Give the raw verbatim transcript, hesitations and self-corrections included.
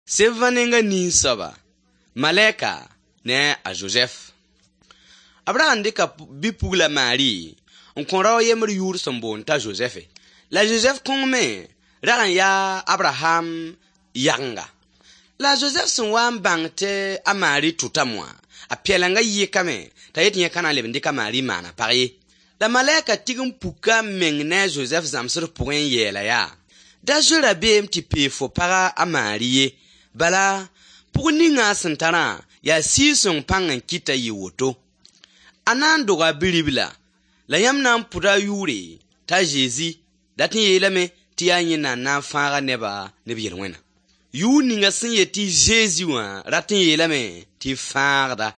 Sevã nenga nin-soaba, malɛka ne a Zozɛf. B ra n dɩka bi-pugla Maari n kõ rao yembr yʋʋr sẽn boond t'a Zozɛfe. La Zozɛf kõng me rag n yaa Abraham yagenga. La a Zozɛf sẽn wa n bãng tɩ a Maari tʋtame wã, a pɛlenga yɩkame t'a yet yẽ ka na n leb n dɩk a Maari n maan a pag ye. La malɛka tigim puka a meng ne a Zozɛf zãmsd pʋgẽ n yeela yaa: Da zoe rabeem tɩ pee fo paga a Maari ye, bala pʋg ninga a sẽn tarã yaa Sɩɩg-sõng pãng n kɩt t'a yɩ woto. A na n doga bi-ribla, la yãmb na n pʋda a yʋʋre t'a Zezi, dat n yeelame tɩ yaa yẽnda n na n fãag a neba ne b yel-wẽna. Yʋʋr ninga sẽn yet tɩ Zezi wã rat n yeelame tɩ Fãagda.